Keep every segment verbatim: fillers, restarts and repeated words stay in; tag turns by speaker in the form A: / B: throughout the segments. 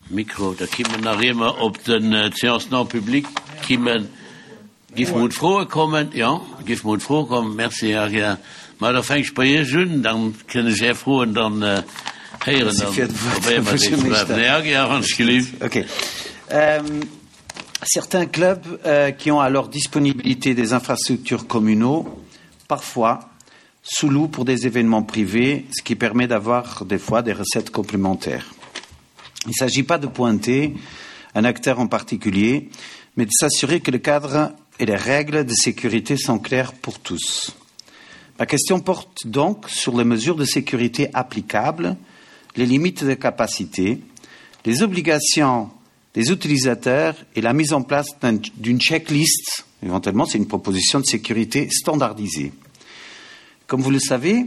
A: Mikro, da kimmen nach ier mer op den Séance non publique kimmen, giff mer un d'Froe kommen. Jo, giff mer un d'Froe kommen. Merci, Här Aguiar. Ma da fänk ech bei Iech un, dann kënn ech Är Froen dann héieren
B: Merci
A: an
B: fir d'Wuert,
A: probéiere
B: Här
A: mer déi ze
B: Buergermeeschter.
A: beantworten. Här Aguiar, wann ech gelift.
B: Okay. Certains clubs qui ont à leur disponibilité des infrastructures communaux, parfois sous-louent pour des événements privés, ce qui permet d'avoir des fois des recettes complémentaires. Il ne s'agit pas de pointer un acteur en particulier, mais de s'assurer que le cadre et les règles de sécurité sont claires pour tous. Ma question porte donc sur les mesures de sécurité applicables, les limites de capacité, les obligations des utilisateurs et la mise en place d'une checklist, éventuellement c'est une proposition de sécurité standardisée. Comme vous le savez,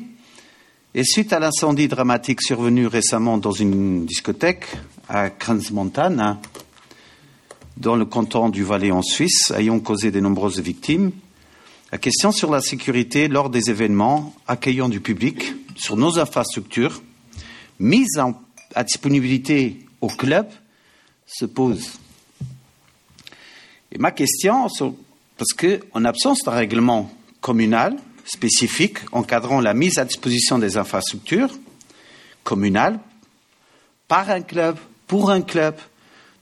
B: et suite à l'incendie dramatique survenu récemment dans une discothèque à Crans-Montana, dans le canton du Valais en Suisse, ayant causé de nombreuses victimes, la question sur la sécurité lors des événements accueillant du public sur nos infrastructures mises en, à disponibilité au club se pose. Et ma question, parce que en absence d'un règlement communal spécifique encadrant la mise à disposition des infrastructures communales par un club, pour un club,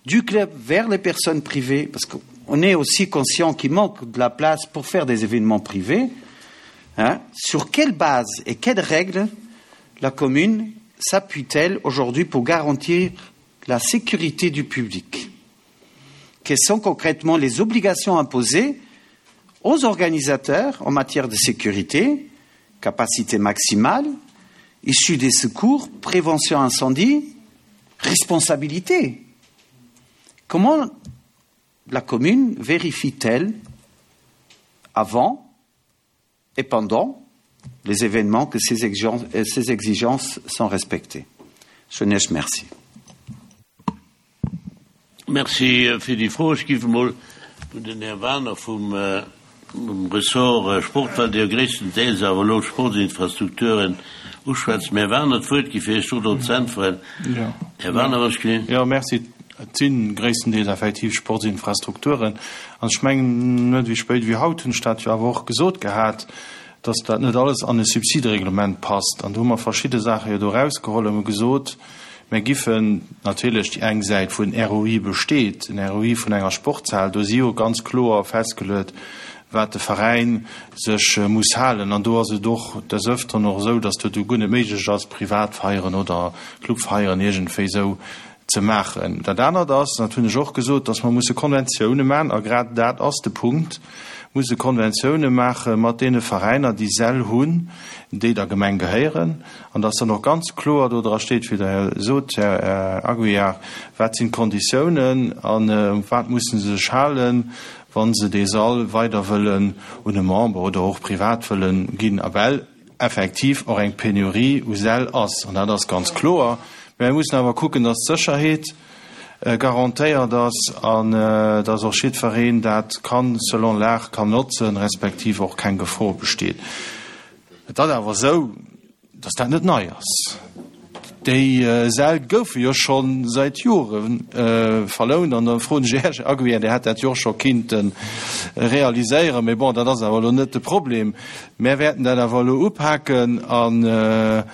B: du club vers les personnes privées, parce qu'on est aussi conscient qu'il manque de la place pour faire des événements privés, hein, sur quelle base et quelles règles la commune s'appuie-t-elle aujourd'hui pour garantir la sécurité du public? Quelles sont concrètement les obligations imposées aux organisateurs en matière de sécurité, capacité maximale, issue des secours, prévention incendie, responsabilité? Comment la commune vérifie-t-elle avant et pendant les événements que ces exigences, ces exigences sont respectées? Jeunesse, merci.
A: Merci fir déi Fro. Ech géif emol un den Här Waner vum Ressort Sport, well Dir jo gréisstendeels awer elo d'Sportsinfrastrukturen uschwätzt, dem Här Waner d'Wuert gi fir Iech do drop ze äntweren. Här Waner, wann ech gelift.
C: Jo, merci. Et si gréisstendeels effektiv Sportsinfrastrukturen. An ech mengen, net wéi spéit wéi haut hunn ech dat jo awer och gesot gehat, dass dat net alles an e Subsidereglement passt. An do hu mer verschidde Saache jo do erausgeholl an hu gesot, mir giffen natierlech déi eng Säit, wou en R O I besteet, en R O I vun enger Sportshal, do si jo ganz kloer festgeluet, wat de Veräin sech muss halen. An do ass et och des Öfteren och esou, dass dat do guer net méiglech ass, Privatfeieren oder Clubfeieren iergendwéi esou ze maachen. Dat anert ass, dat hunn ech och gesot, dass mer musse Konventioune maachen, a grad dat ass de Punkt, musse Konventioune maache mat deene Veräiner, déi Säll hunn, déi der Gemeng gehéieren, an dass dann och ganz kloer do dra steet, wéi Der Här sot, Här Aguiar, wat sinn d'Konditiounen an u wat musse se sech halen, wa se dee Sall weider wëllen un e Member oder och privat wëllen ginn, a well effektiv och eng Penurie u Säll ass, an dat ass ganz kloer. Mä mir mussen awer kucken, dass d'Sécherheet garantéiert ass an dass och jiddwereen dat kann selon l'art kann notzen, respektiv och keng Gefor besteet. Et ass awer esou, dass dat net nei ass. Déi Säll goufe jo scho säit Jore verlount an da froen ech Iech, Här Aguiar, Dir hätt dat jo och scho kinnte realiséieren, mee bon, dat ass awer elo net de Problem. Mär wäerten dat awer elo upaken an,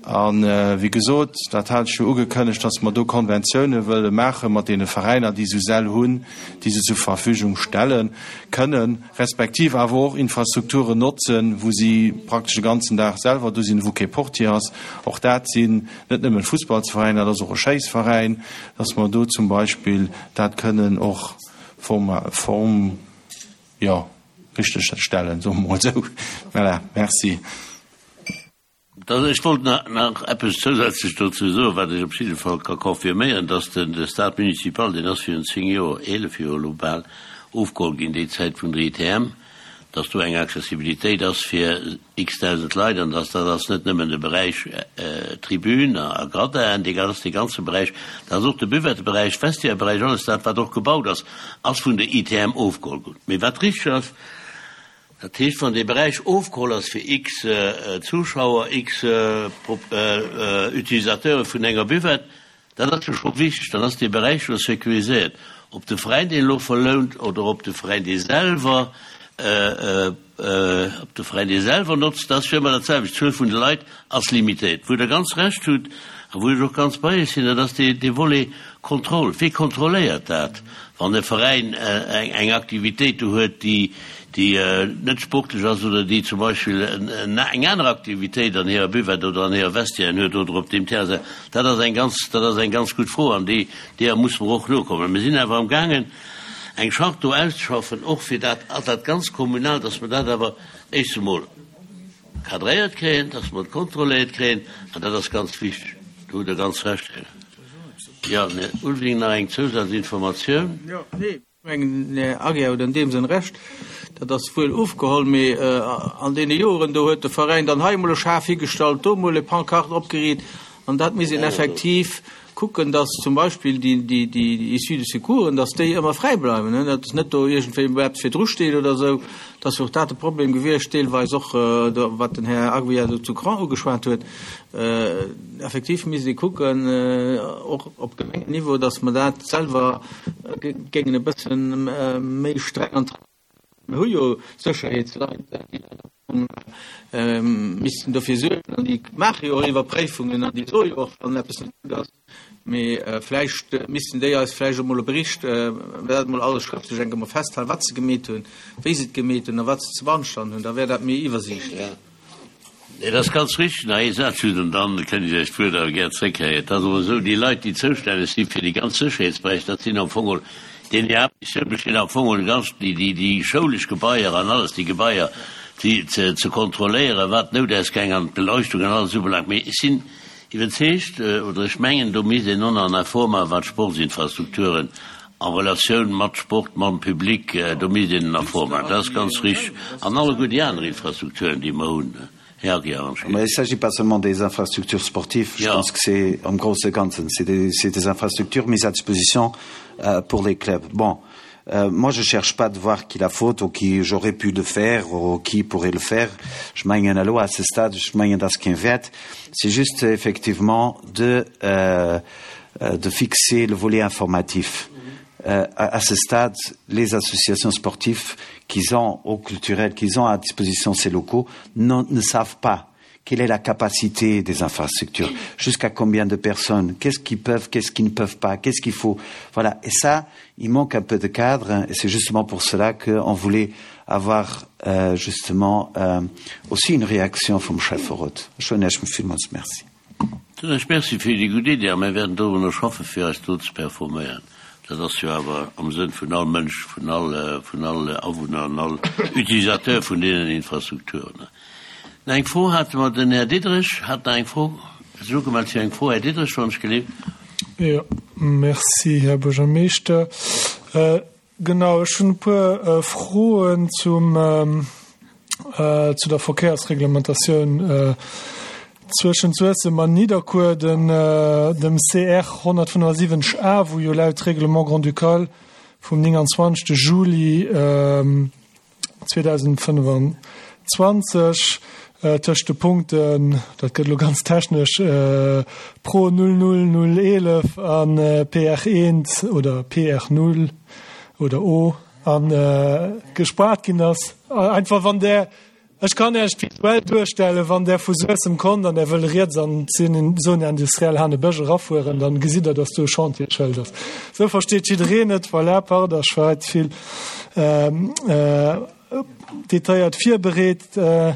C: A wéi gesot, dat hat ech jo ugekënnegt, dass mer do Konventioune wëlle maache mat deene Veräiner, déi esou Säll hunn, déi se zur Verfügung stelle kënnen, respektiv awer och Infrastrukturen notzen, wou si praktesch de ganzen Dag selwer do sinn, wou kee Portier ass. Och dat sinn net nëmmen Fussballsveräiner, dat ass och e Schéissveräin, dass mer do zum Beispill dat kënnen och form, jo, richteg stellen, soe mer emol esou. Voilà, merci.
A: Ech wollt nach eppes zousätzlech dozou soen, wat ech op jidde Fall ka confirméieren, dass de Stade municipal, deen ass virun zéng Joer, eelef Joer elo bal, ofgeholl ginn, déi Zäit vun der I T M, dass do eng Accessibilitéit ass fir x dausend Leit an dass dat ass net nëmmen de Beräich Tribün a Gradin, dee ass dee ganze Beräich, dat ass och de Buvetteberäich, Vestiaire-Beräich, alles dat, wat och gebaut ass, ass vun der I T M ofgeholl ginn. Mee wat richteg ass, dat heescht, wann dee Beräich ofgeholl ass fir x Zuschauer, x Utilisateure vun enger Buvette, Dat ass jo scho wichteg, dann ass dee Beräich jo sécuriséiert. Ob de Veräin deen elo verlount oder ob de Veräin dee selwer, ob de Veräin dee selwer notzt, dat ass fir ëmmer dat selwecht. D'Zuel vun de Leit ass limitéiert. Wou Der ganz Recht hutt a wou ech och ganz bei Iech sinn, dat ass dee, dee Volet Kontroll. Wie kontrolléiert dat, wann e Veräin eng, eng Aktivitéit do huet, déi, déi net sportlech ass oder déi zum Beispill eng aner Aktivitéit an hirer Buvette oder an hirer Vestiairen huet oder op deem Terrain? Dat ass eng ganz, dat ass eng ganz gutt Fro an déi, deeër muss mer och nokommen. Mir sinn awer amgaangen, eng Charte do auszeschaffen, och fir dat, dat ganz kommunal, dass mer dat awer éischt emol cadréiert kréien, dass mer et kontrolléiert kréien, an dat ass ganz wichteg. Do hutt Der ganz Recht, Här. Jo, Här Ulveling, nach eng Zousazinformatioun.
D: Jo, nee. Ech mengen, Här Aguiar huet an deem Sënn Recht, dat ass wuel ofgeholl, mee an deene Joren do huet de Veräin dann hei emol e Schaf higestallt, do emol e Pancarte opgeriit, an dat misst een effektiv kucken, dass zum Beispill déi, déi, déi Issue de secoursen, dass déi ëmmer fräi bleiwen, dass net do iergendwéi eppes virdru steet oder esou. Dat ass jo och dat de Problem gewiescht, deelweis och, wat den Här Aguiar do zu Cron ugeschwat huet. Effektiv misst ee kucken, och op Gemengenniveau, dass mer dat selwer géingen e bësse méi streng an d'Hand. Mir hu jo Sécherheetsleit, déi missten dofir suergen, an déi maache jo och Iwwerpréifungen an déi soe jo och, wann eppes net gutt ass. Mee vläicht missten déi eis vläicht emol e Bericht, dat emol alles schrëftlech eng Kéier emol festhalen, wat se gemeet hunn, wéi se et gemeet hunn a wat se ze beanstanden hunn. Da wär dat méi iwwersiichtlech.
A: Dat ass ganz richteg. Nach ee Saz just, an dann kënnt Dir Iech d'Wuert awer gär zréckkréien. Et ass awer esou, déi Leit, déi zoustänneg si fir déi ganz Sécherheetsberäich, dat sinn am Fong geholl, deenen hir Haaptmissioun besteet am Fong geholl ganz déi, déi, déi schoulesch Gebaier an alles, déi Gebaier déi ze, ze kontrolléieren, wat d'Noutausgäng an d'Beleuchtung an alles ubelaangt. Mee ech sinn iwwerzeegt, oder ech mengen, do misst een och nach en Effort maachen, wat d'Sportsinfrastrukturen en Relatioun mat Sport, mam Public, do misst een en Effort maachen. Dat ass ganz richteg. An alleguer déi aner Infrastrukturen, déi mer hunn. Här Aguiar,
B: Mais il ne s'agit pas seulement des infrastructures sportives, je pense que c'est en gros ce Ganzen, c'est des, c'est des infrastructures mises à disposition euh, pour les clubs. Bon, euh, moi je cherche pas de voir qui la faute ou qui j'aurais pu le faire ou qui pourrait le faire. Ech mengen elo à ce stade, ech mengen dat ass keen Wäert. C'est juste effectivement de, euh, euh, de fixer le volet informatif. Euh, à, à ce stade, les associations sportives qu'ils ont au culturel, qu'ils ont à disposition ces locaux, non, ne savent pas quelle est la capacité des infrastructures, jusqu'à combien de personnes, qu'est-ce qu'ils peuvent, qu'est-ce qu'ils ne peuvent pas, qu'est-ce qu'il faut. Voilà. Et ça, il manque un peu de cadre, et c'est justement pour cela qu'on voulait avoir euh, justement euh, aussi une réaction vum Schäfferot. Villmools merci.
A: Ech merci fir déi gutt Iddi a mir wäerten dorunner schaffe fir eis do ze performéieren. Dat ass jo awer am Sënn vun all Mënsch, vun all, vun all Awunner an all Utilisateur vun deenen Infrastrukturen. Nach eng Fro hate mer, den Här Diderich hat nach eng Fro, sech ugemellt fir eng Fro. Här Diderich, wann ech geleeft.
E: Jo, merci, Här Buergermeeschter. Äh, genau, ech hunn e puer äh, Froen zum, ähm, äh, zu der Verkéiersreglementatioun äh, zwëschent Suessem an Nidderkuer, den, äh, dem C R honnertfënnefasiwwenzeg A, wou jo laut Règlement grand-ducal vum nénganzwanzegste Juli ähm, zweedausendfënnefenzwanzeg äh, tëscht de Punkten, dat gëtt lo ganz technesch, äh, Pro null null null eelef an äh, P R eent oder P R null oder O an äh, gespaart ginn ass. Einfach wann der Ech kann Iech visuell duerstellen, wann der vu Suessem kommt an der wëll riets an d'Zone industrielle Hanebësch erafueren, dann gesitt der, dass do e Chantierschëld ass. Sou versteet jiddereen et, voilà, pardon, ech war vill ähm, äh, detailléiert virbereet. Äh,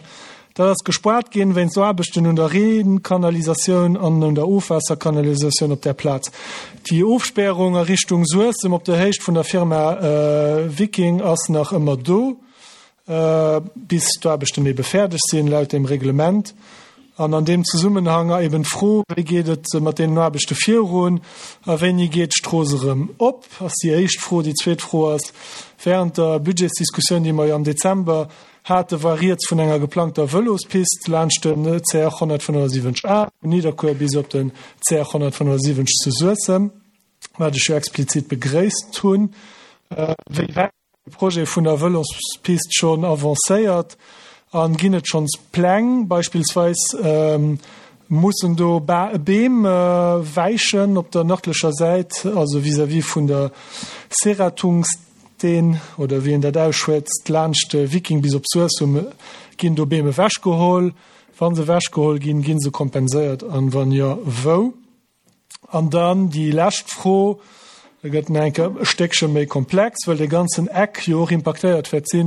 E: dat ass gespaart ginn wéinst Aarbechten un der Reenkanalisatioun an un der Ofwaasserkanalisatioun op der Plaz. Déi Ofspärung a Richtung Suessem op der Héicht vun der Firma äh, Viking ass nach ëmmer do, äh, bis d'Aarbechten ebe fäerdeg sinn laut dem Reglement. An an deem Zesummenhang eben d'Fro, wéi geet et mat deenen Aarbechte virun a wéini geet d'Strooss erëm op, ass déi éischt Fro. Déi zweet Fro ass, während der Budgetsdiskussioun, déi mer jo am Dezember hate, war rieds vun enger geplangter Vëlospist laanscht den C R honnertfënnefasiwwenzeg A vun Nidderkuer bis op den C R honnertfënnefasiwwenzeg zu Suessem, wat ech jo explizit begréisst hunn. Äh, wéi wäit de Projet vun der Vëlospist schonn avancéiert an ginn et schonns Pläng, beispillsweis ähm, Mussen do Beem wäichen op der nërdlecher Säit, also vis-à-vis vun der Seratungsteen oder wéi een dat ausschwätzt, laanscht de Viking bis op Suessem, ginn do Beem ewechgeholl? Wa se ewechgeholl ginn, gi se kompenséiert an wann jo, wou? An dann déi lescht Fro, da gëtt en enke e Stéckche méi komplex, well dee ganzen Eck jo och impaktéiert wäert si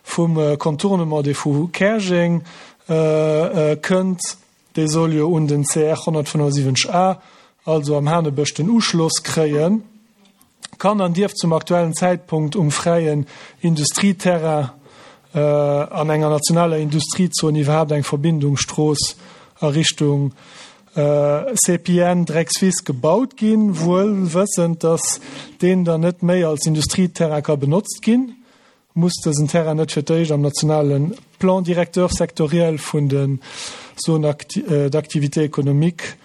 E: vum Contournement, dee vu Käerjeng kënnt. Dee soll jo un den C R honnertfënnefundsiwwenzeg A, also am Hanebësch, den Uschloss kréien. Kann an dierf zum aktuellen Zäitpunkt um fräien Industrieterrain an enger nationaler Industriezon iwwerhaapt eng Verbindungsstrooss a Richtung C P N Dreckswiss gebaut ginn, wuel wëssend, datt deen dann net méi als Industrieterrain ka benotzt ginn? Muss dësen Terrain net fir d'éischt am nationale Plan directeur sectoriel vun den Zones d'activité économique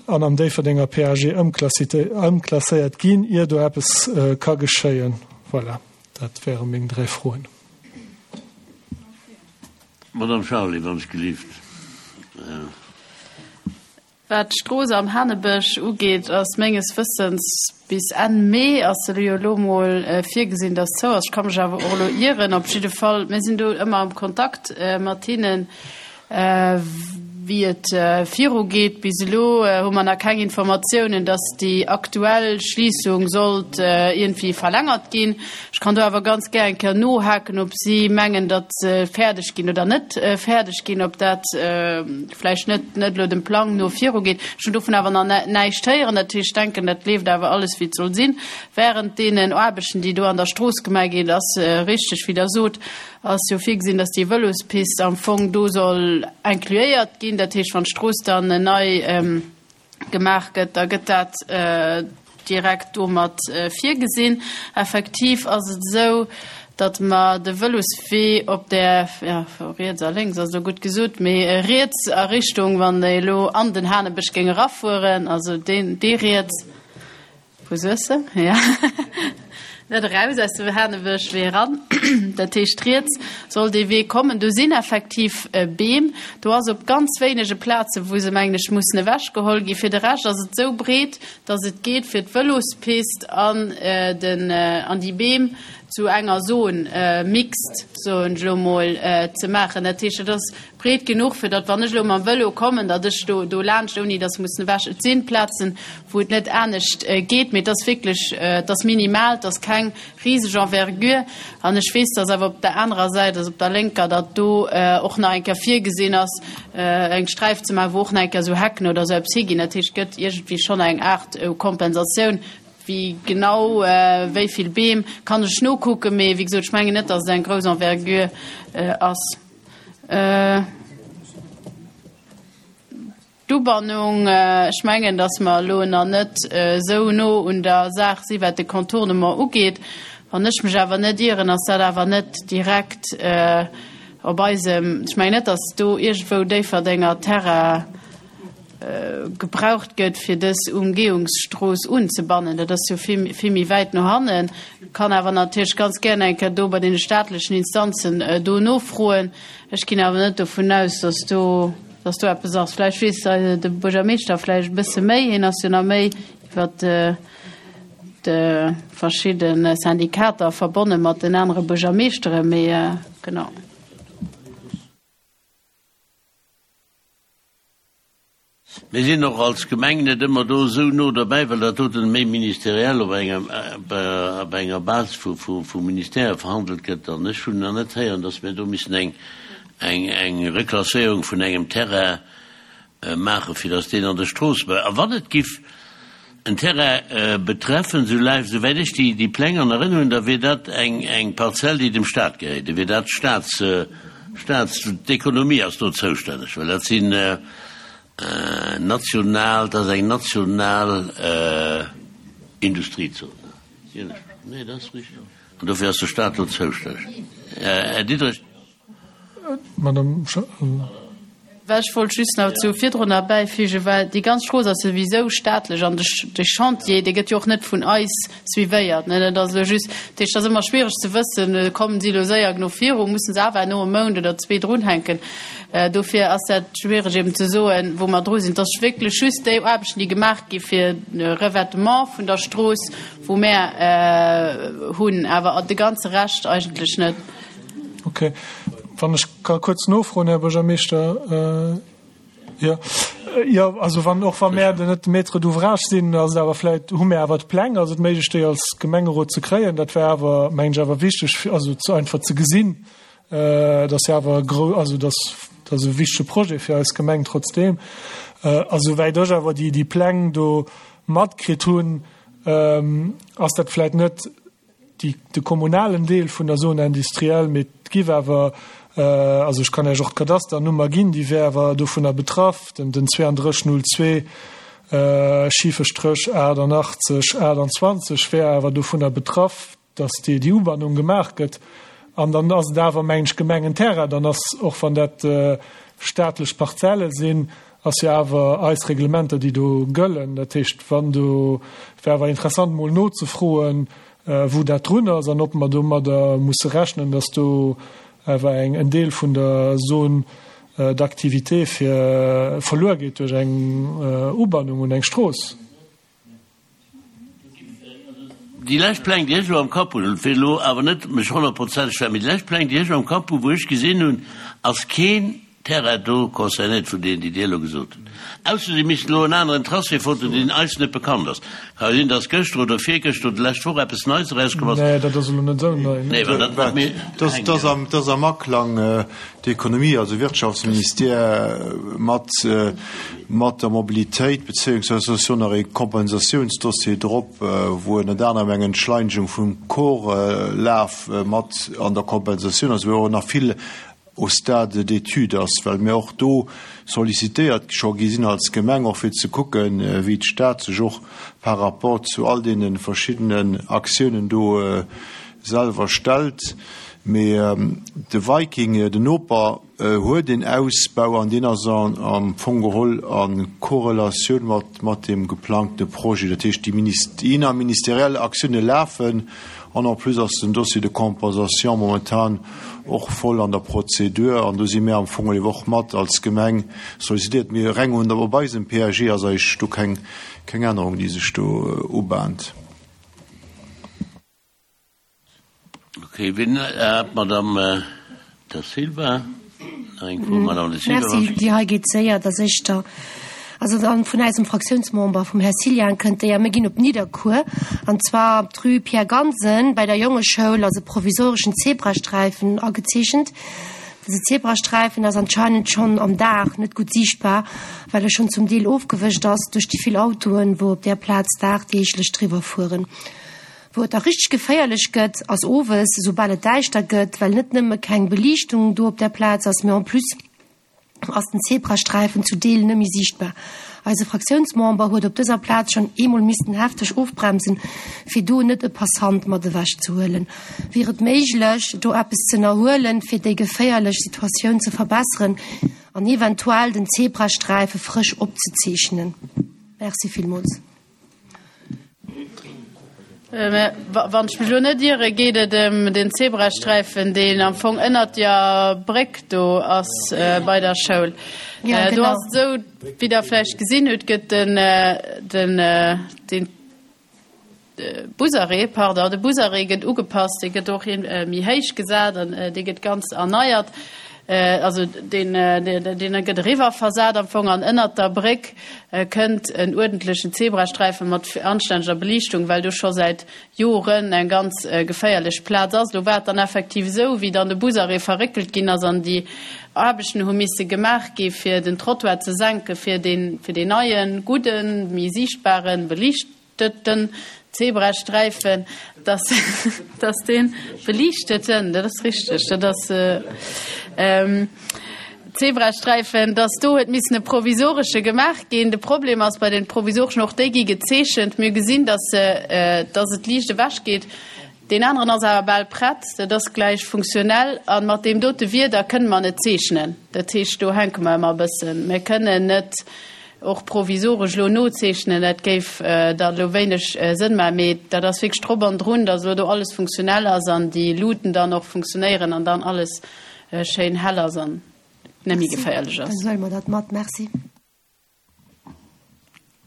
E: an am Déifferdenger P A G ëmklasséiert ginn, ier do eppes ka geschéien? Voilà, dat wäre meng dräi Froen.
A: Madame Charly, wann ech gelift.
F: Wat d'Strooss am Hanebësch ugeet, ass menges Wëssens bis Enn Mee ass se jo elo mol virgesinn, dass zou ass. Ech ka mech awer och elo ieren. Op jidde Fall, mir sinn do ëmmer am Kontakt mat hinnen, wéi et virugeet. Bis elo hu mer nach keng Informatiounen, dass déi aktuell Schliessung sollt irgendwie verlängert ginn. Ech kann do awer ganz gär eng Kéier nohaken, ob si mengen, datt se fäerdeg ginn oder net fäerdeg ginn, ob dat vläicht net, net elo dem Plang no virugeet. Ech hunn dovun awer nach näischt héieren. Dat heescht, ech denken, dat leeft awer alles, wéi et soll sinn. Während deenen Aarbechten, déi do an der Strooss gemaach ginn, ass richteg, wéi der sot, ass jo virgesinn, dass déi Vëlospist am Fong do soll incluéiert ginn. Dat heescht, wann d'Strooss dann nei gemaach gëtt, da gëtt dat direkt domat virgesinn. Effektiv ass et esou, datt mer de Vëloswee op der, ja, riets a lénks ass elo gutt gesot, mee riets a Richtung, wann déi elo an den Hanebësch géinge rafueren, also deen, dee riets vu Suessem, ja. Net eraus aus dem Hanebësch, wee eran. Dat heescht, riets soll dee Wee kommen. Do sinn effektiv Beem. Do ass op ganz wéinege Plaze, wou se, mengen ech, mussen ewechgeholl ginn. Fir de Rescht ass et sou breet, datt et geet fir d'Vëlospist an den, an déi Beem zu enger Zon mixt, soen ech elo mol, ze maachen. Dat heescht, et ass breet genuch, fir datt, wann ech elo mam Vëlo kommen, datt ech do, do laanscht, ouni datt mussen ewech. Et sinn Plazen, wou et net anescht geet, mee et ass wierklech, et ass minimal, et ass keng rieseg Envergure. An ech weess, datt awer op der anerer Säit, also op der lénker, datt do och nach eng Kéier virgesinn ass, eng Sträif ze maachen, wou och nach eng Kéier sou Hecken oder sou eppes higinn. Dat heescht, et gëtt iergendwéi schonn eng Art Kompensatioun. Wéi genau, wéi vill Beem, kann ech nokucken, mee wéi gesot, ech mengen net, datt et eng grouss Envergure ass. D'Ubannung, ech mengen, datt mer elo nach net esou no un der Saach si wat de Contournement ugeet. Wann ech mech awer net ieren, ass dat awer net direkt op eisem, ech mengen net, datt do iergendwou Déifferdenger Terrain gebraucht gëtt, fir dës Umgehungsstrooss unzebannen. Dat ass jo vill, vill méi wäit no hannen. Kann awer natierlech ganz gern eng Kéier do bei den staatlechen Instanzen do nofroen. Ech ginn awer net dovun aus, datt do, datt do eppes ass. Vläicht weess de Buergermeeschter vläicht e bësse méi. Hien ass jo nach méi iwwer de verschidde Syndikater verbonne mat den anere Buergermeeschteren, mee genau.
A: Mir sinn och als Gemeng net ëmmer do sou no derbäi, well dat doten méi ministeriell op enger, op enger Base vu, vu, vu Ministère verhandelt gëtt. An ech hunn nach net héieren, datt mir do missen eng, eng, eng Reklasséierung vun engem Terrain maachen, fir datt deen an der Strooss bleift. A wann et giff en Terrain betreffen, sou läif, souwäit ech déi, déi Pläng an Erinnerung hunn, da wier dat eng, eng Parzell, déi dem Staat gehéiert. Da wier dat Staats, Staats, d'Ekonomie ass do zoustänneg, well dat sinn national, dat ass eng national Industriezone. Nee, dat ass richtig. An dofir ass de Staat do zoustänneg. Här Diderich.
E: Madame
F: Well ech wollt just nach zu virdrun erbäifügen, well déi ganz Strooss ass souwisou staatlech an de Chantier, dee gëtt jo och net vun eis suivéiert, ne. Dat ass elo just, dat heescht, et ass ëmmer schwiereg ze wëssen, kommen si elo séier genuch viru, mussen se awer elo e Mount oder zwee drunhänken. Dofir ass dat schwiereg eben ze soen, wou mer dru sinn. Et ass wierklech just déi Aarbechten, déi gemaach gi fir de Revêtement vun der Strooss, wou mär hunn, awer de ganze Rescht eigentlech net.
E: Okay. Wann ech ka kuerz nofroen, Här Buergermeeschter. Jo, jo, also wann, och wa mär net de Maître d'ouvrage sinn, ass et awer vläicht, hu mär awer d'Pläng, ass et méiglech, déi als Gemengerot ze kréien? Dat wär awer, mengen ech, awer wichteg, fir also ze einfach ze gesinn, dat ass jo awer e grou, also dat ass e wichtege Projet fir eis Gemeng trotzdeem. A souwäit ech awer déi, déi Pläng do matkritt hunn, ass dat vläicht net déi, de kommunalen Deel vun der Zone industrielle, mee et giff awer, also ech kann Iech och d'Kadasternummer ginn, déi wär awer dovunner betraff, den, den zweiunddrësseg null zwee schife Stréch aachtannachtzeg aachtanzwanzeg wär awer dovunner betraff, dass déi, déi Ubannung gemaach gëtt. An dann ass et awer, mengen ech, Gemengenterrain. Dann ass, och wann dat staatlech Parzelle sinn, ass jo awer eis Reglementer, déi do gëllen. Dat heescht, wann do, wär awer interessant emol nozefroen, wou dat drun ass an ob mer domadder musse rechnen, dass do awer eng, en Deel vun der Zone d'activité fir verluer geet duerch eng Ubannung un eng Strooss.
A: Déi lescht Pläng, déi ech elo am Kapp hunn, fir elo awer net mech honnertprozenteg ze, mee déi lescht Pläng, déi ech elo am Kapp hunn, wou ech gesinn hunn, ass keen Terrain do concernéiert vun deenen, déi Dir elo gesot hutt. Ausser si missten elo en aneren Tracé foten, deen eis net bekannt ass. Ka jo sinn, dass gëschter oder virgëschter oder d'lescht Woch eppes Neits erauskomm ass.
E: Nee, dat ass elo net esou nei.
A: Nee, well dat wat mir
G: Dat ass am Aklang d'Ekonomie, also Wirtschaftsministère mat mat der Mobilitéit, beziéungsweis ass jo nach ee Kompensatiounsdossier drop, wou ënnert anerem eng Entschleinegung vum Chorlaf mat an der Kompensatioun ass, wou och nach vill au stade d'étude ass, well mir och do sollicitéiert scho gi sinn als Gemeng, och fir ze kucken, wéi d'Stad sech och par rapport zu all deene verschiddenen Aktiounen do selwer stellt. Mee de Viking, den Noper, huet een Ausbau an deen ass am Fong geholl a Korrelatioun mat deem geplangte Projet. Dat heescht, déi innerministeriell Aktioune lafen an en plus ass den Dossier de compensation momentan och voll an der Prozedur an do si mir am Fong geholl och mat als Gemeng sollicitéiert. Mee reng op eisem P A G ass eigentlech do keng Ännerung, déi sech do ubahnt.
A: Okay, wien hat d'Madame Da Silva nach eng Fro? Madame Da Silva.
H: Merci, déi hei geet séier, dat ass éischter, also dann vun eisem Fraktiounsmember, vum Här Cilian, kënnt déi a mir ginn op Nidderkuer, an zwar op d'Rue Pierre Gansen bei der Jongeschoul ass e provisoreschen Zebrasträifen agezeechent. Dëse Zebrasträifen ass anscheinend schonn am Dag net gutt siichtbar, well e schonn zum Deel ofgewëscht ass duerch déi vill Autoen, wou op där Plaz dagdeeglech driwwer fueren. Wou et da richteg geféierlech gëtt, ass owes, esoubal et däischter gëtt, well net nëmme keng Beliichtung do op där Plaz ass, mee en plus ass den Zebrasträifen zu Deel net méi siichtbar. Eise Fraktiounsmember huet op dëser Plaz schonn eemol missten hefteg ofbremsen, fir do net e Passant mat ewech ze huelen. Wier et méiglech, do eppes ze ënnerhuelen, fir déi geféierlech Situatioun ze verbesseren an eventuell den Zebrasträife frësch opzezeechnen? Merci villmools.
F: Wann ech mech elo net iere, geet et ëm den Zebrasträifen, deen am Fong ënnert der Bréck do ass bei der Schoul. Do ass et esou, wéi Der vläicht gesinn hutt, gëtt den, den, den Busarrêt, pardon, de Busarrêt gëtt ugepasst, dee gëtt och méi héich gesat an dee gëtt ganz erneiert. Also deen, deen gëtt eriwwer versat am Fong an ënnert der Bréck kënnt en uerdentlechen Zebrasträife mat anstänneger Beliichtung, well do scho säit Joren eng ganz geféierlech Plaz ass. Do war et dann effektiv esou, wéi dann de Busarrêt verréckelt ginn ass an déi Aarbechten hu misse gemaach gi fir den Trottoir ze senke fir deen, fir deen neien, gudden, méi siichtbaren, beliichteten Zebrasträifen, dass, dass dee beliichteten, dat ass richteg, dat ass Zebrasträifen, dass do huet missen e provisoresche gemaach ginn. De Problem ass bei den provisoreschen, och déi gi gezeechent, mir gesinn, dass se, dass et liicht ewechgeet. Deen aneren ass awer bal prett, dat ass gläich funktionell. A mat deem dote Wieder kënne mer net zeechnen. Dat heescht, do hänke mer ëmmer e bëssen. Mir kënnen net och provisoresch elo nozeechnen, dat géif da elo wéineg Sënn maachen. Mee dat ass wierklech drop an drun, datt elo do alles funktionell ass an déi Luuten dann och funktionéieren an dann alles schéin hell ass an net méi geféierlech ass.
H: Dann huele mer dat mat. Merci.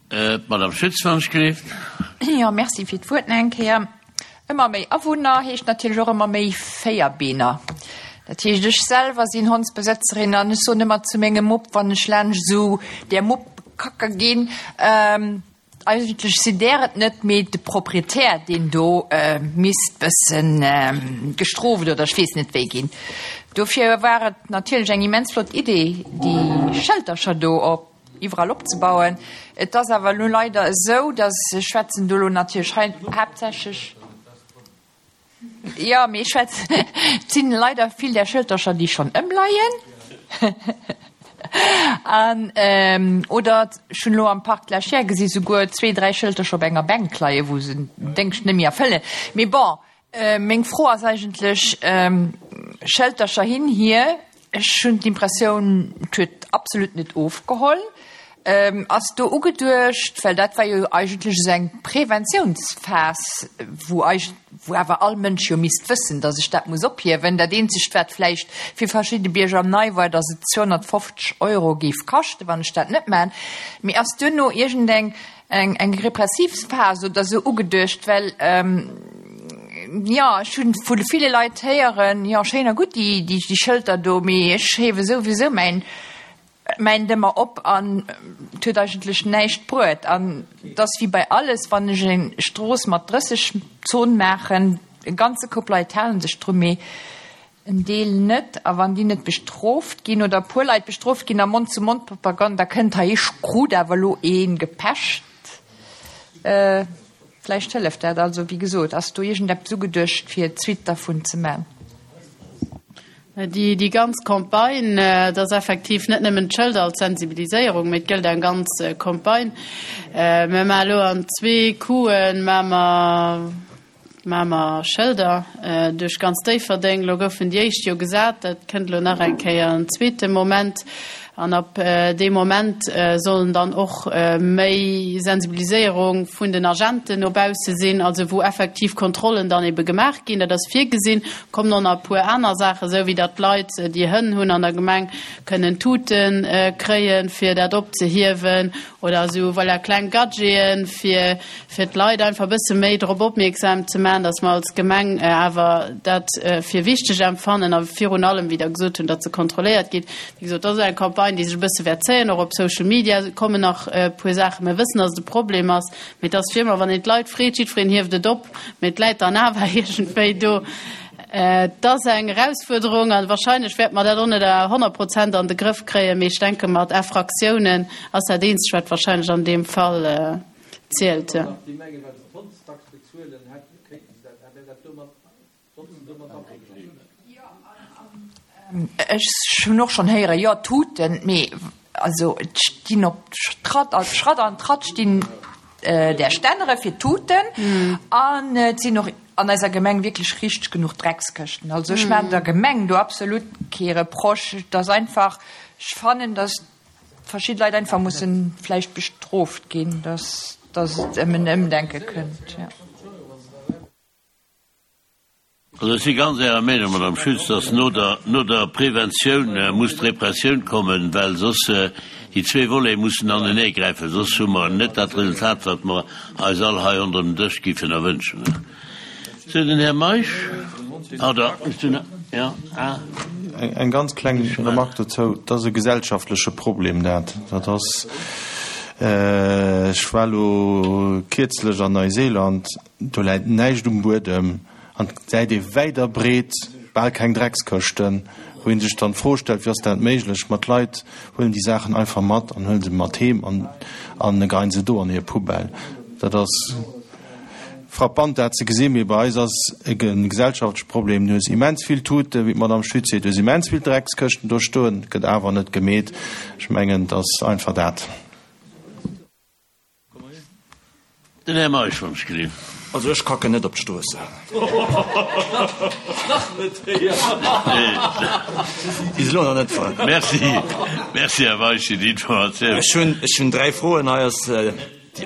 A: D'Madame Schütz, wann ech gleeft.
I: Jo, merci fir d'Wuert nach eng Kéier. Ëmmer méi Awunner heescht natierlech och ëmmer méi Véierbeener. Dat heescht, ech selwer sinn Hondsbesëtzerin an ech soen ëmmer zu mengem Mupp, wann ech laanscht esou där Mupp kacke ginn, eigentlech sinn där et net, mee de Proprietär, deen do misst bëssen gestrooft oder ech weess net wéi ginn. Dofir war et natierlech eng immens flott Idee, déi Schëltercher do op iwwerall opzebauen. Et ass awer elo leider esou, dass, ech schwätzen do elo natierlech hei haaptsächlech, jo, mee ech schwätzen, et sinn leider vill där Schëltercher, déi schonn ëmleien an, oder ech hunn elo am Parc de la Chiers gesi souguer zwee, dräi Schëltercher op enger Bänk leien, wou se den Déngscht net méi erfëllen. Mee bon, meng Fro ass eigentlech, Schëltercher hin, hier, Ech hunn d'Impressioun, et huet absolut net ofgeholl. Ass do ugeduecht, well dat war jo eigentlech esou eng Preventiounsphas, wou wou awer all Mënsch jo misst wëssen, datt ech dat muss ophiewen. Dat eenzegt, wat vläicht fir verschidde Bierger nei war, datt et zweehonnertfofzeg Euro géif kaschten, wann ech dat net maachen. Mee ass duerno iergendeng eng eng repressiv Phas oder esou ugeduecht? Well jo, ech hunn vu ville Leit héieren, jo, schéin a gutt déi, déi Schëlter do, mee ech hiewe souwisou mäin, mäin Dëmmer op an et huet eigentlech näischt bruet. An et ass wéi bei alles, wann ech eng Strooss mat drësseg Zon maachen, e ganze Koup Leit hale sech dru, mee en Deel net. A wann déi net bestrooft ginn oder e puer Leit bestrooft ginn a Mond-zu-Mond-Propaganda kënnt, hei ech krut awer elo ee gepecht, Vläicht hëlleft dat. Also, wéi gesot, ass do iergendeppes ugeduecht, fir d'Suite dervun ze man?
F: Déi ganz Campagne, et ass effektiv net nëmmen d'Schëlder als Sensibiliséierung, mee et gëllt eng ganz Campagne. Mir maache elo an zwee Coup'en, maache mer, Maache mer Schëlder duerch ganz Déifferdeng. Elo goufen déi éischt jo gesat. Dat kënnt elo nach eng Kéier en zweete Moment. An ab deem Moment sollen dann och méi Sensibiliséierung vun den Agenten no bausse sinn, also wou effektiv Kontrollen dann ebe gemaach ginn. Dat ass virgesinn. Kommen och nach e puer aner Saachen, esou wéi datt d'Leit, déi Hënn hunn an der Gemeng, kënnen Tute kréien, fir dat opzehiewen oder esou, voilà, kleng Gadgeten, fir fir d'Leit einfach e bësse méi drop opmierksam ze maachen, datt mer als Gemeng awer dat fir wichteg empfannen a virun allem, wéi Der gesot hunn, datt se kontrolléiert gétt. Wéi gesot, dat ass eng Campagne, déi sech e bësse wäert zéien. Och op Social Media kommen nach e puer Saachen. Mir wëssen, datt et e Problem ass, mee et ass wéi ëmmer, wann een d'Leit freet, jiddwereen hieft et op, mee et läit dann awer iergendwéi do. Et ass eng Erausfuerderung a wahrscheinlech wäerte mer dat och net a honnert Prozent an de Grëff kréien, mee ech denke mat Infraktiounen ass dat eenzegt, wat wahrscheinlech an deem Fall zielt.
I: Ech hunn och schonn héieren, jo, Tuten, mee also et stinn op Schratt a Schratt an Tratt stinn där Stännere fir d'Tuten an et sinn och an eiser Gemeng wierklech richteg genuch Dreckskëschten. Also ech maachen der Gemeng do absolut kee Reproche. Et ass einfach, ech fannen, datt verschidde Leit einfach mussen vläicht bestrooft ginn, datt datt et ëm en Ëmdenke kënnt, jo.
A: Also ech si ganz Ärer Meenung, Madame Schütz, dass no der, no der Preventioun muss d'Repressioun kommen, well soss déi zwee Volete mussen aneneegräifen, soss hu mer net dat Resultat, wat mer eis all hei ronderëm den Dësch giffen erwënschen. Sou, den Här Meisch, oder? Jo, ah.
C: Eng ganz kleng Remarque dozou, Et ass e gesellschaftleche Problem, dat. Dat ass, ech war elo kierzlech an Neuseeland, do läit näischt um Buedem an et gesäit ee wäit a breet bal keng Dreckskëschten, wou ee sech dann d'Fro stellt, Wéi ass dat méiglech? Ma d'Leit huelen déi Saachen einfach mat an huele se mat heem an geheien se do an hir Poubelle. Dat ass. Frappant dat ze gesinn, mee bei eis ass e gesellschaftleche Problem. Du hues immens vill Tuten, wéi d'Madame Schütz seet, du hues immens vill Dreckskëschten do stoen, et gëtt awer net gemeet. Ech mengen, et ass einfach dat.
A: Den Här Meisch, wann ech gelift.
J: Also ech kacken net op d'Stroossen.
D: Nach net héieren.
J: Bis elo nach net fonnt.
A: Merci, merci Här Meisch fir déi Informatioun.
J: Ech hunn, ech hunn dräi Froen. Hei ass déi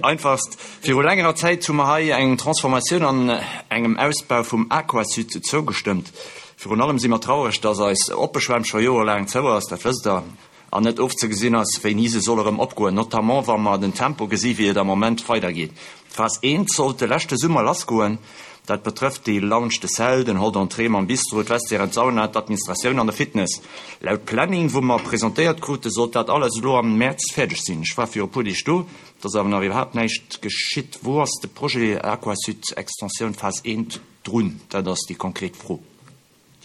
J: einfachst. Viru längerer Zäit hu mer hei eng Transformatioun an engem Ausbau vum Aquasud zougestëmmt. Virun allem si mer traureg, dass eis oppe Schwämm scho jorelaang zou ass, dat wësst Der, an net ofzegesinn ass, wéini se soll erëm opgoen, notamment wa mer den Tempo gesi wéi et am Moment weidergeet. D'Phas eent sollt de leschte Summer lassgoen. Dat betrëfft déi Lounge de Sel, den Hall d'entrée mam Bistro, d'Vestiairen, d'Sauna, d'Administratioun an de Fitness. Laut Planning, wou mer presentéiert krute, sollt dat alles elo am Mäerz fäerdeg sinn. Ech war viru puer Deeg do, et ass awer nach iwwerhaapt näischt geschitt. Wou ass de Projet Aquasud Extensioun Phas eent drun? Dat ass déi konkret Fro,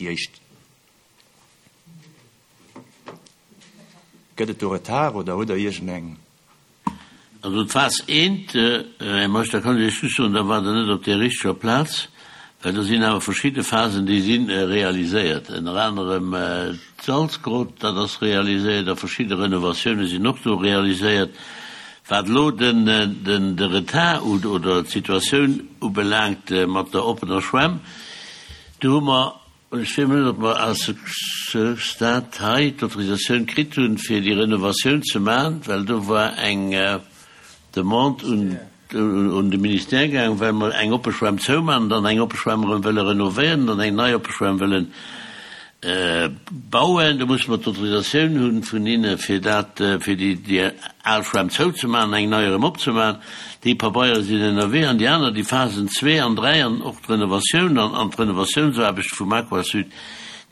J: déi éischt. Gëtt et do Retard oder hutt Der iergendeng?
A: Also d'Phas eent, Här Meisch, da kann ech Iech just soen, da waart Der net op där richteger Plaz, well do sinn awer verschidde Phasen, déi si realiséiert, ënner anerem d'Salzgrott, dat ass realiséiert, a verschidde Renovatioune sinn och do realiséiert. Wat elo de Retard oder d'Situatioun ubelaangt mat der oppener Schwämm, do hu mer, ech weess net, ob mer à ce stade hei d'Autorisatioun kritt hunn, fir déi Renovatioun ze maachen, well do war eng Demande un de Ministère gaangen, well mer eng oppe Schwämm zoumaachen, dann eng oppe Schwämm erëm wëlle renovéieren, dann eng nei oppe Schwämm wëllen bauen. Do musse mer d'Autorisatioun hu vun hinne fir dat, fir déi al Schwämm zouzemaachen, eng nei erëm opzemaachen. Déi Pabeiere sinn ënnerwee an déi aner, déi Phasen zwee an dräi an och d'Renovatioun an d'Renovatiounsarbechte vum Aquasud,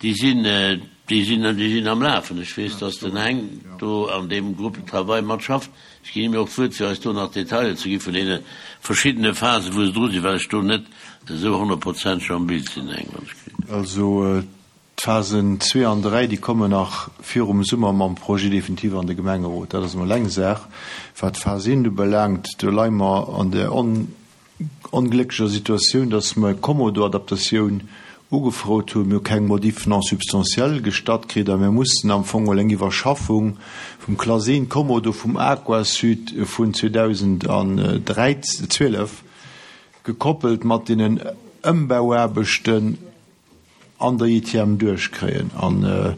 A: déi sinn, déi sinn, déi sinn am Lafen. Ech weess, dass den Heng do an deem Groupe de travail matschafft. Ech ginn him jo och d'Wuert, fir eis do nach Detailer ze gi vun deene verschiddene Phasen, wou se dru sinn, well ech do net esou honnertprozenteg am Bild sinn, Heng, wann ech kritt.
G: Also d'Phasen zwee an dräi, déi kommen nach virum Summer mam Projet définitif an de Gemengerot. Dat ass emol eng Saach. Wat d'Phas eent ubelaangt, do leie mer an der onglécklecher Situatioun, dass mer Kommodo-Adaptatioun ugefrot hunn. Mir hu keng Modif non substantielle gestatt kritt a mir mussen am Fong emol eng Iwwerschaffung vum Klass eent Kommodo vum Aquasud vun zweedausendzwielef, gekoppelt mat deenen Ëmbauaarbechten, an der I T M duerchkréien. An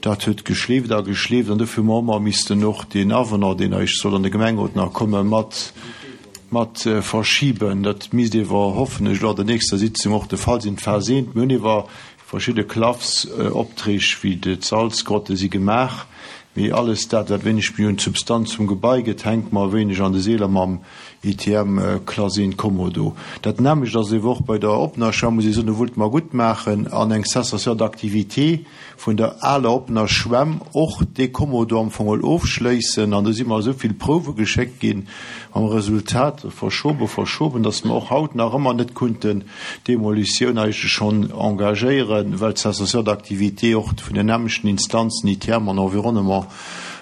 G: dat huet geschleeft a geschleeft. An dofir hu mer ëmmer missten och deen Avenant, deen eis soll an de Gemengerot nach kommen, mat, mat verschiben. Dat misst ewer, hoffen ech, elo an der nächster Sitzung och de Fall sinn. D'Phas eent, mir hunn ewer verschidde Klaffsopträg wéi d'Salzgrotte si gemaach, mee alles dat, wat wéineg méi un d'Substanz vum Gebai gëtt, hänkt mer e wéineg an de Seeler mam I T M Klass eent Kommodo. Dat nämmlecht ass ewer och bei der oppener Schwämm, muss ech soen, do wollte mer gutt maachen an eng Cessation d'activité vun der aler oppener Schwämm och dee Kommodo am Fong ofschléissen. An do si mer esou vill Prouwe geschéckt ginn, am Resultat verschoben, verschoben, dass mer och haut nach ëmmer net konnten d'Demolitioun eigentlech schonn engagéieren, well d'Cessation d'activité och vun den nämmlechten Instanzen I T M an Environnement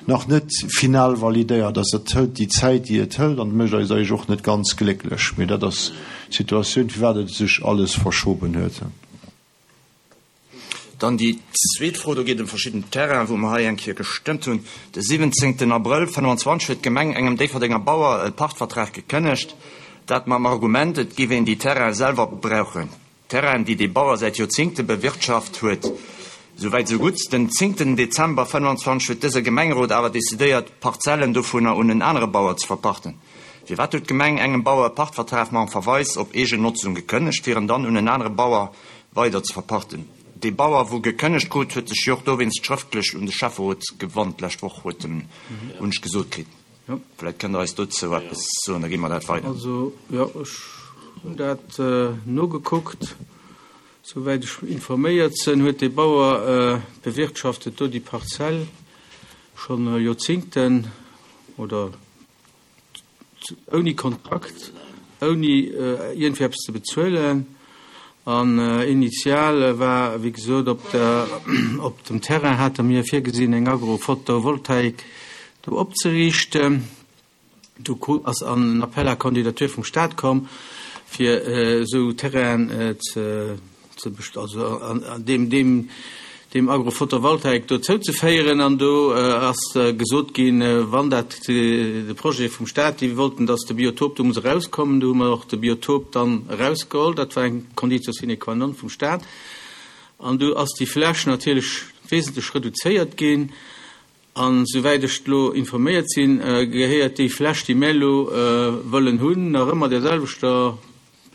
G: nach net final validéiert ass. Dat hëlt déi Zäit, déi et hëlt, an mécht eis eigentlech och net ganz glécklech. Mee dat ass d'Situatioun, firwat et sech alles verschoben huet.
J: Dann déi zweet Fro, do geet ëm verschidden Terrainen, wou mer hei eng Kéier gestëmmt hunn. De siwwenzéngten Abrëll fënnwanzwanzeg huet d'Gemeng engem Déifferdenger Bauer e Pachtvertrag gekënnegt, dat mam Argument, et géif een déi Terraine selwer brauchen. Terrainen, déi dee Bauer säit Joerzéngte bewirtschaft huet. Souwäit sou gutt. Den zéngten Dezember fënnwanzwanzeg huet dëse Gemengerot awer decidéiert, Parzellen dovunner un en anere Bauer ze verpachten. Firwat huet d'Gemeng engem Bauer e Pachtvertrag mam Verweis op eegen Notzung gekënnegt, fir en dann un en anere Bauer weider ze verpachten? De Bauer, wou gekënnegt krut, huet sech jo och dowéinst schrëftlech un de Schäfferot gewannt. D'lescht Woch huet en un ech gesot kritt. Vläicht kënnt Der eis dozou eppes soen, da gi mer dat weider.
D: Also, jo, ech hunn dat nogekuckt. Soweit ech informéiert sinn, huet de Bauer bewirtschaftet do déi Parzell schon Joerzéngten oder ouni Kontrakt, ouni iergendwéi eppes ze bezuelen. An initial war, wéi gesot, op der, op dem Terrain hate mir virgesinn, eng Agrophotovoltaik do opzeriichten. Do ass an Appel à candidature vum Staat komm, fir esou Terrain ze, ze best-, also an, an dem, dem, deem Agrophotovoltaik do zouzeféieren. An do ass gesot ginn, wann dat de Projet vum Stat, déi wollten, dass de Biotop do muss erauskommen, do hu mer och de Biotop dann erausgeholl, dat war eng Conditio sine qua non vum Stat. An do ass déi Fläch natierlech wesentlech reduzéiert ginn. An souwäit ech elo informéiert sinn, gehéiert déi Fläch, déi mär elo wëllen hunn, nach ëmmer där selwechter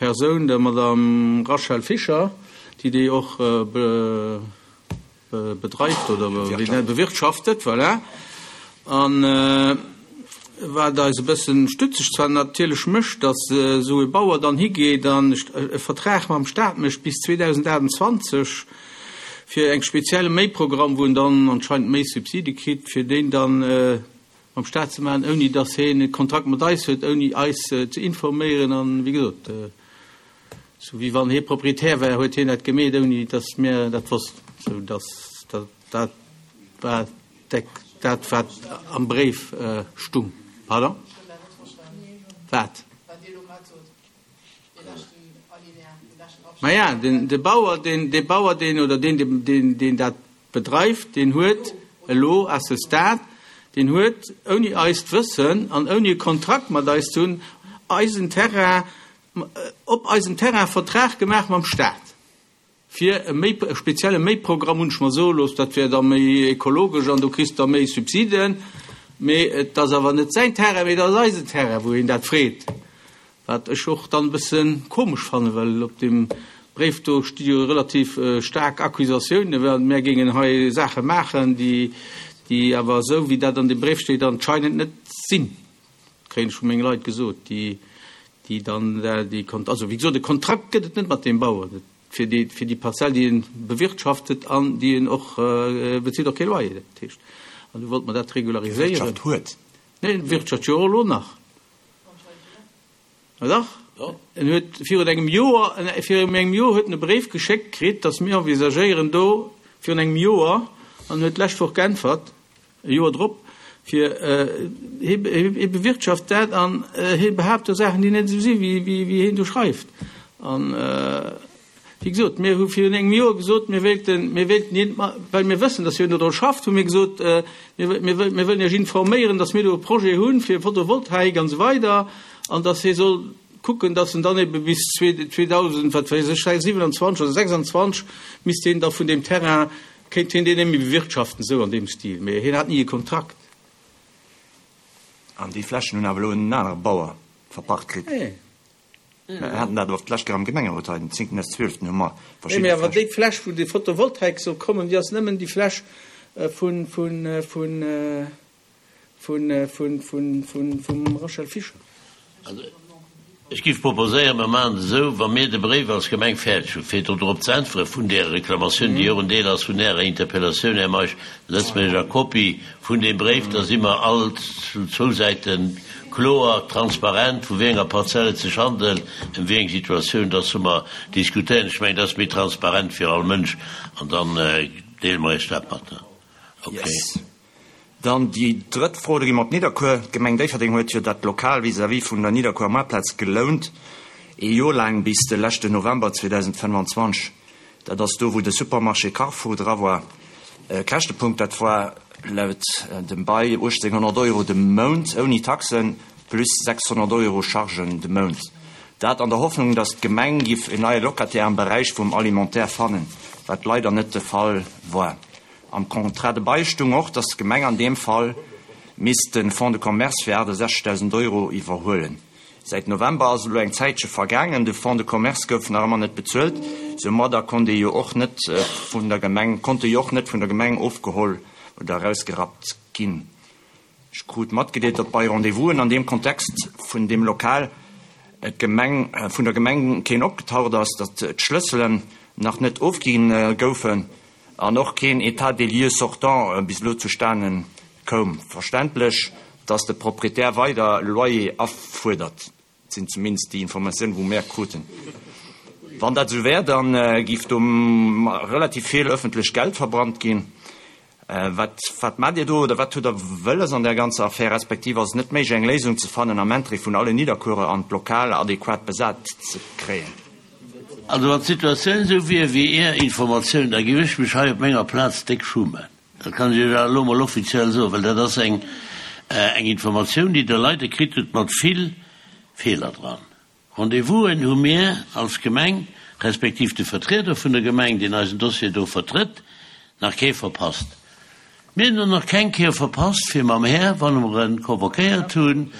D: Persoun, der Madame Rachel Fischer, déi déi och bedreift oder bewirtschaftet, voilà. An wat eis e bëssen stutzeg zwar natierlech mécht, datt esou e Bauer dann higeet an e Vertrag mam Stat mécht bis zweedausendachtundzwanzeg fir eng spezielle Méiprogramm, wou en dann anscheinend méi Subside kritt, fir deen dann mam Stat ze maachen, ouni datt hien e Kontrakt mat eis huet, ouni eis ze informéieren an, wéi gesot, sou wéi wann hie Proprietär wär, huet hien dat gemeet, ouni datt mir dat wossten, sou datt dat war dat, wat am Bréif stung. Pardon? Wat? Maja, den, de Bauer, deen, dee Bauer, deen oder deen, deen, deen dat bedreift, deen huet elo à ce stade, deen huet ouni eist Wëssen an ouni e Kontrakt mat eis ze hunn, eisen Terrain, op eisem Terrain Vertrag gemaach mam Staat fir e méi, e spezielle Méiprogramm, hunn ech mer soe looss, dat wär da méi ekologesch an do kriss de da méi Subsiden. Mee et ass awer net säin Terrain, mee et ass eisen Terrain, wou hien dat freet. Wat ech och dann e bësse komesch fannen, well op deem Bréif do sti jo relativ staark Accusatiounen, well mär géingen hei Saache maachen, déi, déi awer esou, wéi dat an deem Bréif steet, anscheinend net sinn. Kréien ech vu menge Leit gesot, déi, déi dann déi, also wéi gesot, e Kontrakt gëtt et net mat deem Bauer, fir déi, fir déi Parzell, déi en bewirtschaftet an déi en och, e bezilt och kee Loyer, dat heescht, an du wollt mer dat regulariséieren.
J: Bewirtschaft huet.
D: Nee, en bewirtschaft jo och elo nach. Ma dach, en huet virun engem Joer, virun engem Joer huet en e Bréif geschéckt kritt, datt mir envisagéieren do, virun engem Joer, an en huet d'lescht Woch geäntwert, e Joer drop, fir hie bewirtschaft dat an hie behaapt do Saachen, déi net esou si wéi hien do schreift. An wéi gesot, mir hu virun engem Joer gesot, mir wéilten, mir wéilten hien, well mir wëssen, datt hien dodru schafft, hu mir gesot, mir, mir, mir wëllen Iech informéieren, datt mir do e Projet hunn fir Photovoltaik an esou weider an datt hie soll kucken, datt en dann ebe bis zweedausend, wat weess ech, siwenanzwanzeg oder sechsanzwanzeg misst hien da vun deem Terrain, kéint hien deen net méi bewirtschaften, esou an deem Stil. Mee hien hat ni e Kontrakt.
J: An déi Flächen hunn awer elo en anere Bauer verpacht kritt. Mir haten dat och d'lescht Kéier am Gemengerot hei, den zéngten des zwielften hu mer
D: Nee, mee
J: verschidde
D: awer
J: Flächen.
D: déi Fläch, wou déi Photovoltaik soll kommen, déi ass nëmmen déi Fläch vun, vun, vun, vun, vun, vun, vun, vum Rachel Fischer.
A: Also, ech géif proposéieren, mer maachen et esou, wa mir de Bréif als Gemeng fäerdeg hunn, fir do drop ze äntweren, vun där Reklamatioun, déi och en Deel ass vun Ärer Interpellatioun, Här Meisch, da setze mer Iech a Kopie vun deem Bréif, da si mer all zu zwou Säite kloer, transparent, vu wéi enger Parzell et sech handelt, ëm wéi eng Situatioun dass mer diskutéieren. Ech mengen, dat ass méi transparent fir all Mënsch an dann deele mer Iech dat mat. Okay.
J: Yes. Dann déi drëtt Fro, do gi mer op Nidderkuer. D'Gemeng Déifferdeng huet jo dat Lokal vis-à-vis vun der Nidderkuer Moartplaz gelount, ee Joer laang, bis de leschten November zweedausendfënnefanzwanzeg. Dat ass do, wou de Supermarché Carrefour dra war. Käschtepunkt, dat war laut dem Bail uechtzénghonnert Euro de Mount ouni Taxen, plus sechshonnert Euro Chargen de Mount. Dat an der Hoffnung, datt d'Gemeng giff en neie Locataire am Beräich vum Alimentaire fannen, wat leider net de Fall war. Am Contrat de bail stung och, datt d'Gemeng an deem Fall misst de Fonds de commerce fir aachtasechzegdausend Euro iwwerhuelen. Säit November ass elo eng Zäitche vergaangen, de Fonds de commerce gouf nach ëmmer net bezuelt. Soumadder konnt e jo och net vun der Gemeng, konnt e jo och net vun der Gemeng ofgeholl oder erausgerappt ginn. Ech krut matgedeelt, datt bei Rendez-vousen an deem Kontext vun deem Lokal d'Gemeng, vun der Gemeng keen opgetaucht ass, datt d'Schlësselen nach net ofgi goufen an och keen État des lieux sortant bis elo zustane koum. Verständlech, datt de Proprietär weider Loyer afuerdert, sinn zumindest déi Informatiounen, wou mär kruten. Wann dat esou wär, da géif do relativ vill ëffentlecht Geld verbrannt ginn. Wat, wat maacht Dir do oder wat hutt Der wëlles an där ganzer Affär, respektiv ass et net méiglech, eng Léisung ze fannen am Interêt vun allen Nidderkuerer an d'Lokal adequat besat ze kréien?
A: Also wann d'Situatioun esou wier wéi Är Informatioun, da géif ech mech hei op menger Plaz déck schummen. Dat kann ech Iech awer elo mol offiziell soen, well dat ass eng eng Informatioun, déi Der leider kritt hutt mat vill Feeler dran. Rendez-vousen hu mir als Gemeng, respektiv de Vertrieder vun der Gemeng, deen eisen Dossier do vertrëtt, nach kee verpasst. Mir hunn och nach keng Kéier verpasst, fir mam Här, wann mer e convoquéiert hunn,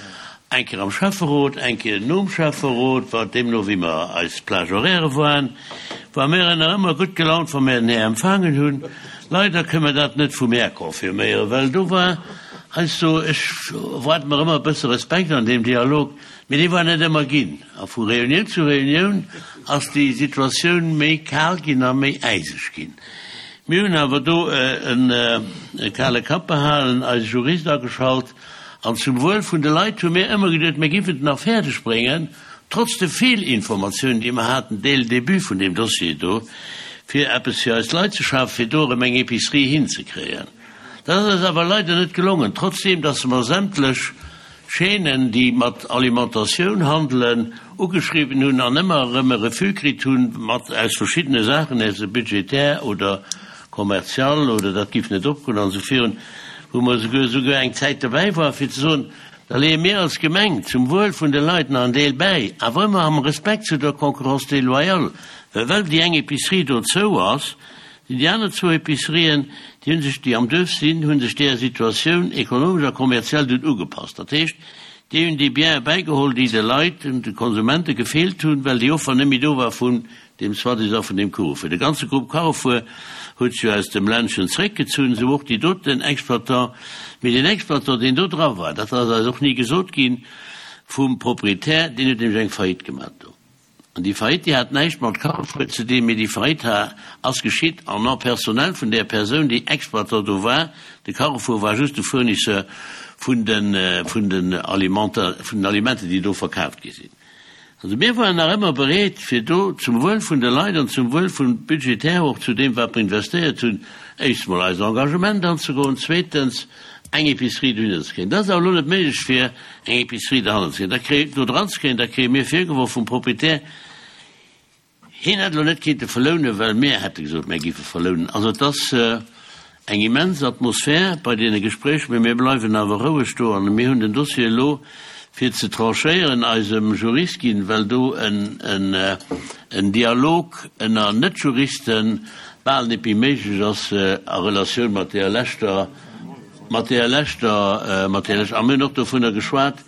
A: eng Kéier am Schäfferot, eng Kéier nom Schäfferot, wat deemno wéi mer eis Plage horaire waren, war mir nach ëmmer gutt gelaunt, wa mir den Här empfaangen hunn. Leider kënne mer dat net vum Här confirméieren, well do war heiansdo, ech erwaarde mer ëmmer e bësse Respekt an deem Dialog, mee dee war net ëmmer ginn. A vu Reunioun zu Reunioun ass déi Situatioun méi kal ginn a méi äiseg ginn. Mir hunn awer do e kale Kapp behalen, eise Jurist ageschalt an zum Wuel vun de Leit hu mir ëmmer geduet, mir giffen et nach fäerdeg bréngen, trotz de Feelinformatiounen, déi mer haten dès le début vun deem Dossier do, fir eppes fir eis Leit ze schafen, fir do erëm eng Épicerie hinzekréien. Dat ass eis awer leider net gelongen, trotzdeem dass mer sämtlech Chaînen, déi mat Alimentatioun handelen, ugeschriwwen hunn an ëmmer erëm e Refus kritt hunn, mat aus verschiddene Saachen, aise budgétaire oder commercial oder dat giff net opgoen an esou virun, wou mer esouguer esouguer eng Zäit dobäi waren, fir ze soen, da leeë mir als Gemeng zum Wuel vun de Leit nach en Deel bäi, awer ëmmer am Respekt zu der Concurrence déloyale, well well déi eng Épicerie do zou ass, sinn déi aner zwou Epicerien, déi hu sech, déi am Duerf sinn, hu sech deeër Situatioun ekonomesch a kommerziell dunn ugepasst. Dat heescht, déi hunn déi Biene bäigeholl, déi de Leit, de Konsumente gefeelt hunn, well déi Offer net méi do war vun deem soi-disant vun deem Carrefour. De ganze Grupp Carrefour huet sech jo aus dem Ländchen zréckgezunn, esou och déi doten Exploitant. Mee deen Exploitant, deen do dra war, dat ass eis och ni gesot ginn vum Proprietär, deen huet nämlech eng Faillite gemaach do. An déi Faillite, déi hat näischt mat Carrefour ze dinn, mee déi Faillite ha ass geschitt en nom personnel vun där Persoun, déi Exploitant do war. De Carrefour war just de Fournisseur vun den, vun den Alimenter, vun den Alimenten, déi do verkaaft gi sinn. Also mir waren nach ëmmer bereet, fir do zum Wuel vun de Leit an zum Wuel vum budgetär och zu deem, wat mer investéiert hunn, éischts mol eist Engagement anzegoen, zweetens eng Épicerie dohinner ze kréien. Dat ass awer elo net méiglech, fir eng Épicerie dohannen ze kréien, da kréie, do dran ze kréien. Da kréie mir virgeworf vum Proprietär, hien hätt elo net kéinte verlounen, well mir hätte gesot, mir géife verlounen. Also et ass eng immens Atmosphär bei deene Gespréicher, mee mir bleiwen awer roueg do an mir hunn den Dossier elo fir ze tranchéieren eisem Jurist ginn, well do en Dialog ënner Net-Juriste bal net méi méiglech ass a Relatioun mat deeër leschter, mat deeër leschter, mat deeër leschter, a mir hunn och dovunner geschwat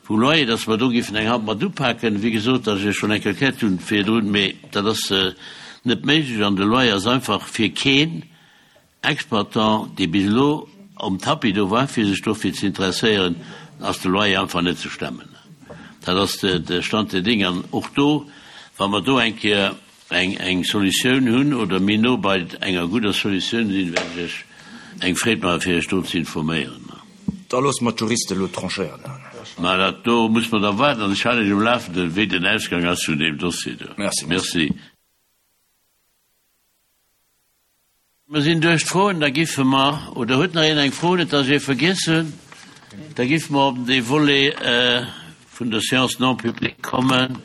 A: vum Loyer, dass mer do géifen eng Hand mat upaken. Wéi gesot, dass ech schonn eng Kéier erkläert hunn virdrun, mee dat ass net méiglech an de Loyer ass einfach fir keen Exploitant, dee bis elo um Tapis do war, fir sech dofir ze interesséieren, ass de Loyer einfach net ze stemmen. Dat ass de Stand der Dinge. An och do, wa mer do eng Kéier eng eng Solutioun hunn oder méi no bei enger gudder Solutioun sinn, wäert ech Iech eng Freed maachen, fir Iech do ze informéieren.
J: Da loosse mer d'Juriste elo tranchéieren.
A: Mä dat do muss mer da waarden an ech halen Iech um Lafenden, wéi den Ausgang ass vun deem Dossier do.
J: Merci.
A: Merci. Mer sinn duerch d'Froen, da giffe mer, oder huet nach een eng Fro, net dass ech ee vergiess hunn, da giffe mer op dee Volet vun der Séance non publique kommen.